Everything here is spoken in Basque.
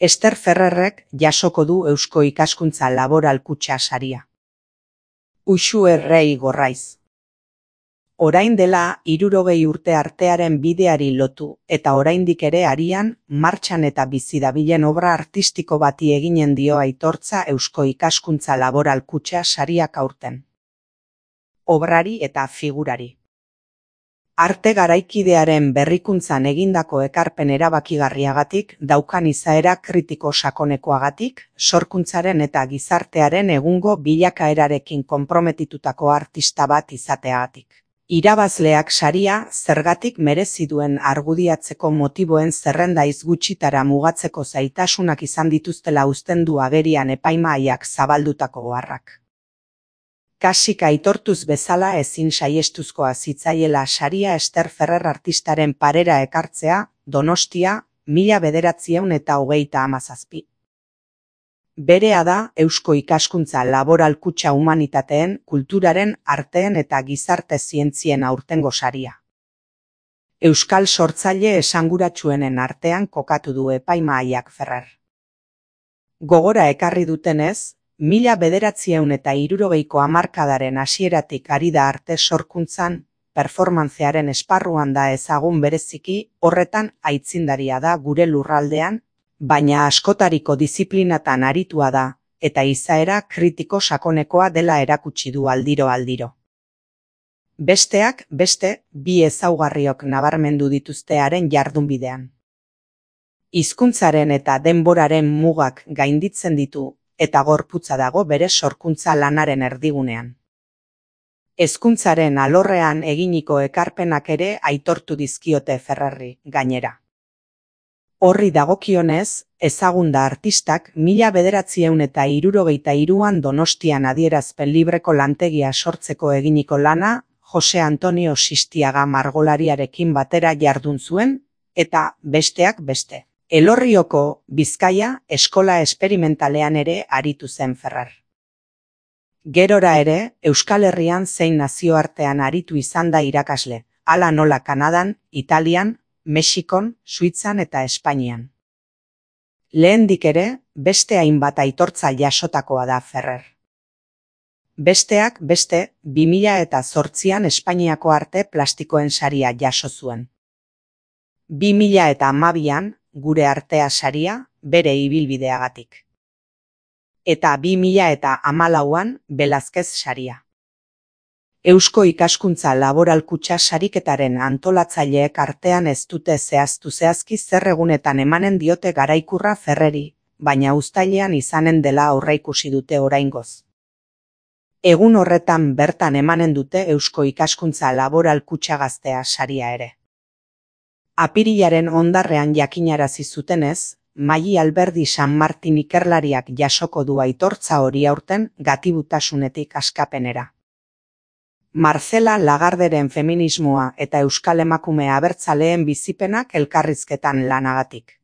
Ester Ferrerrek jasoko du Eusko Ikaskuntza Laboral Kutxa saria. Uxu Errei Gorraiz. Orain dela 60 urte artearen bideari lotu eta oraindik ere arian, martxan eta bizi dabilen obra artistiko bati eginen dio aitortza Eusko Ikaskuntza Laboral Kutxa sariak aurten. Obrari eta figurari. Arte garaikidearen berrikuntzan egindako ekarpen erabakigarriagatik, daukan izaera kritiko sakonekoagatik, sorkuntzaren eta gizartearen egungo bilakaerarekin konprometitutako artista bat izateagatik. Irabazleak saria zergatik merezi duen argudiatzeko motiboen zerrendaiz gutxitara mugatzeko zailtasunak izan dituztela uzten du agerian epaimahaiak zabaldutako oharrak. Kasik aitortuz bezala ezin saihestuzkoa zitzaiela saria Ester Ferrer artistaren parera ekartzea, Donostia, 1927. Berea da Eusko Ikaskuntza Laboral Kutxa Humanitateen, Kulturaren, Arteen eta Gizarte Zientzien aurtengo saria. Euskal sortzaile esanguratsuenen artean kokatu du epaimahaiak Ferrer. Gogora ekarri dutenez, 1960ko hamarkadaren hasieratik ari da arte sorkuntzan, performantzearen esparruan da ezagun bereziki, horretan aitzindaria da gure lurraldean, baina askotariko diziplinatan aritua da, eta izaera kritiko sakonekoa dela erakutsi du aldiro. Besteak beste, bi ezaugarriok nabarmendu dituzte haren jardunbidean. Hizkuntzaren eta denboraren mugak gainditzen ditu, eta gorputza dago bere sorkuntza lanaren erdigunean. Hezkuntzaren alorrean eginiko ekarpenak ere aitortu dizkiote Ferrerri, gainera. Horri dagokionez, ezagun da artistak 1963an Donostian adierazpen libreko lantegia sortzeko eginiko lana, Jose Antonio Sistiaga margolariarekin batera jardun zuen, eta besteak beste. Elorrioko, Bizkaia, eskola esperimentalean ere aritu zen Ferrer. Gerora ere, Euskal Herrian zein nazioartean aritu izan da irakasle, hala nola Kanadan, Italian, Mexikon, Suitzan eta Espainian. Lehendik ere, beste hainbat aitortza jasotakoa da Ferrer. Besteak beste, 2008an Espainiako arte plastikoen saria jaso zuen. 2012an, gure artea saria, bere ibilbideagatik. Eta 2014an, Belazkez saria. Eusko Ikaskuntza Laboral Kutxa sariketaren antolatzaileek artean ez dute zehazki zer egunetan emanen diote garaikurra Ferreri, baina uztailean izanen dela aurreikusi dute oraingoz. Egun horretan bertan emanen dute Eusko Ikaskuntza Laboral Kutxa Gaztea saria ere. Apirilaren hondarrean jakinarazi zutenez, Maili Alberdi San Martin ikerlariak jasoko du aitortza hori aurten gatibutasunetik askapenera. Marcela Lagarderen feminismoa eta euskal emakume abertzaleen bizipenak elkarrizketan lanagatik.